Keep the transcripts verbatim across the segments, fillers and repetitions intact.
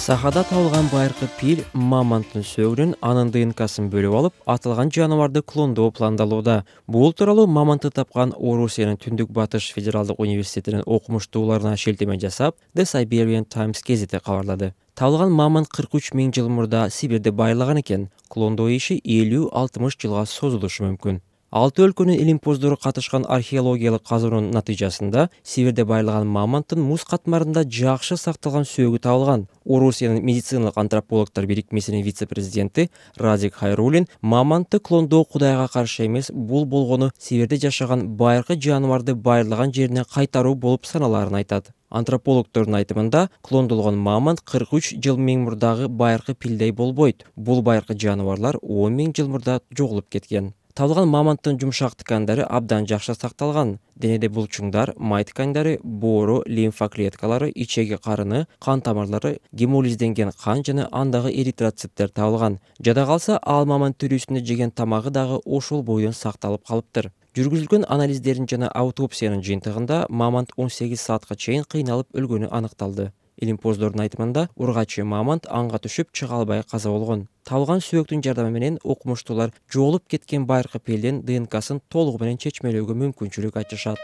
Сахада табылган байыркы пил мамонттун сөөгүнөн анын ДНКсын бөлүп алып, аталган жаныбарды клондоо пландалууда. Бул тууралуу мамонтты тапкан Орусиянын Түндүк Батыш федералдык университетинин окумуштууларына шилтеме жасап, The Siberian Times гезити кабарлады. Табылган мамонт кырк үч миң жыл мурда Сибирде байырлаган экен. Клондоо иши элүү алтымыш жылга созулушу мүмкүн. Алты өлкөнүн илимпоздору катышкан археологиялык казуунун натыйжасында Сибирде байырлаган мамонттун муз катмарында жакшы сакталган сөөгү табылган. Орусиянын медициналык антропологдор бирикмесинин вице-президенти Радик Хайруллин мамонтты клондоо Кудайга каршы эмес, бул болгону Сибирде жашаган байыркы жаныбарды байырлаган жерине кайтаруу болуп саналаарын айтат. Антропологдордун айтымында, клондолгон мамонт кырк үч жыл миң мурдагы байыркы пилдей болбойт. Бул байыркы жаныбарлар он миң жыл мурда жоголуп кеткен. Табылган мамонттун жумшак ткандары абдан жакшы сакталган. Денеде булчуңдар, май ткандары, боору, лимфа клеткалары, ичеги карыны, кан тамырлары, гемолизденген кан жана андагы эритроциттер табылган. Жада калса, ал мамонт тирүүсүндө жеген тамагы дагы ошол бойдон сакталып калыптыр. Жүргүзүлгөн анализдердин жана аутопсиянын жыйынтыгында мамонт он сегиз саатка чейин кыйналып өлгөнү аныкталды. Илимпоздордун айтымында, ургачы мамонт анга түшүп чыга албай каза болгон. Табылган сөөктүн жардамы менен окумуштуулар жоголуп кеткен байыркы пилдин ДНКсын толугу менен чечмелөөгө мүмкүнчүлүк ачышат.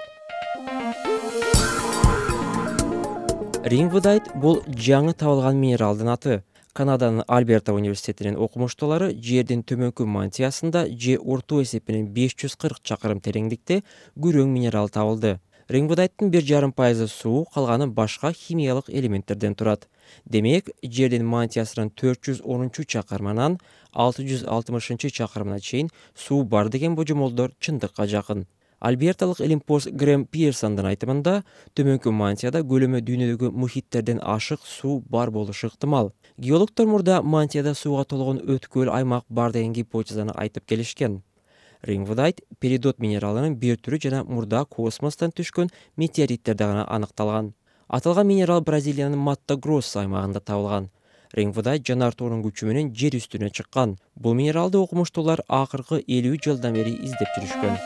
Рингвудайт бул жаңы табылган минералдын аты. Канаданын Альберта университетинин окумуштуулары жердин төмөнкү мантиясында же орто эсепинен беш жүз кырк чакырым тереңдикте күрөң минерал табылды. Рингвудайттын бир жарым пайызы суу, калганы башка химиялык элементтерден турат. Демек, жердин мантиясынын төрт жүз онунчу чакырымынан алты жүз алтымышынчы чакырымына чейин суу бар деген божомолдор чындыкка жакын. Альберталык илимпоз Грэм Пирсондун айтымында, төмөнкү мантияда көлөмү дүйнөдөгү мухиттерден ашык суу бар болушу ыктымал. Геологдор мурда мантияда сууга толгон өткөл аймак бар деген гипотезаны айтып келишкен. Рингвудайт перидот минералынын бир түрү жана мурда космостон түшкөн метеориттерде гана аныкталган. Аталган минерал Бразилиянын Матто-Гроссо аймагында табылган. Рингвудайт жанартоонун күчү менен жер үстүнө чыккан. Бул минералды окумуштуулар акыркы элүү жылдан бери издеп жүрүшкөн.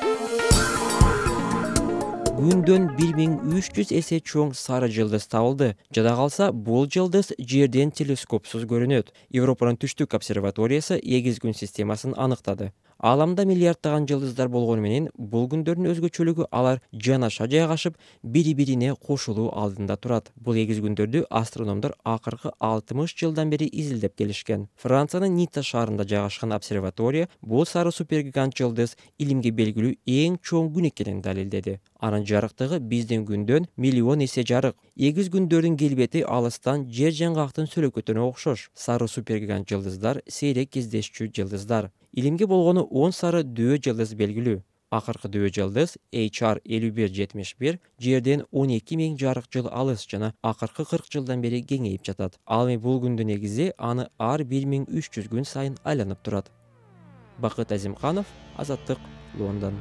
Күндөн бир миң үч жүз эсе чоң сары жылдыз табылды. Жада калса, бул жылдыз жерден телескопсуз көрүнөт. Европанын түштүк обсерваториясы эгиз күн системасын аныктады. Ааламда миллиарддаган жылдыздар болгону менен, бул күндөрдүн өзгөчөлүгү алар жанаша жайгашып, бири-бирине кошулуу алдында турат. Бул эгиз күндөрдү астрономдор акыркы алтымыш жылдан бери изилдеп келишкен. Франциянын Ницца шаарында жайгашкан обсерватория бул сары супергигант жылдыз илимге белгилүү эң чоң күн экенин далилдеди. Анын жарыктыгы биздин күндөн миллион эсе жарык. Эгиз күндөрдүн келбети алыстан жер жаңгактын сөлөкөтүнө окшош. Сары супергигант жылдыздар сейрек кездешчү жылдыздар. Илимге болгону он сары дөө жылдыз белгилүү. Акыркы дөө жылдыз эйч ар элүү бир жетимиш бир жерден он эки миң жарык жыл алыс жана акыркы кырк жылдан бери кеңейип жатат. Ал эми бул күндүн негизи аны ар бир миң үч жүз күн сайын айланып турат. Бакыт Азимканов, Азаттык, Лондон.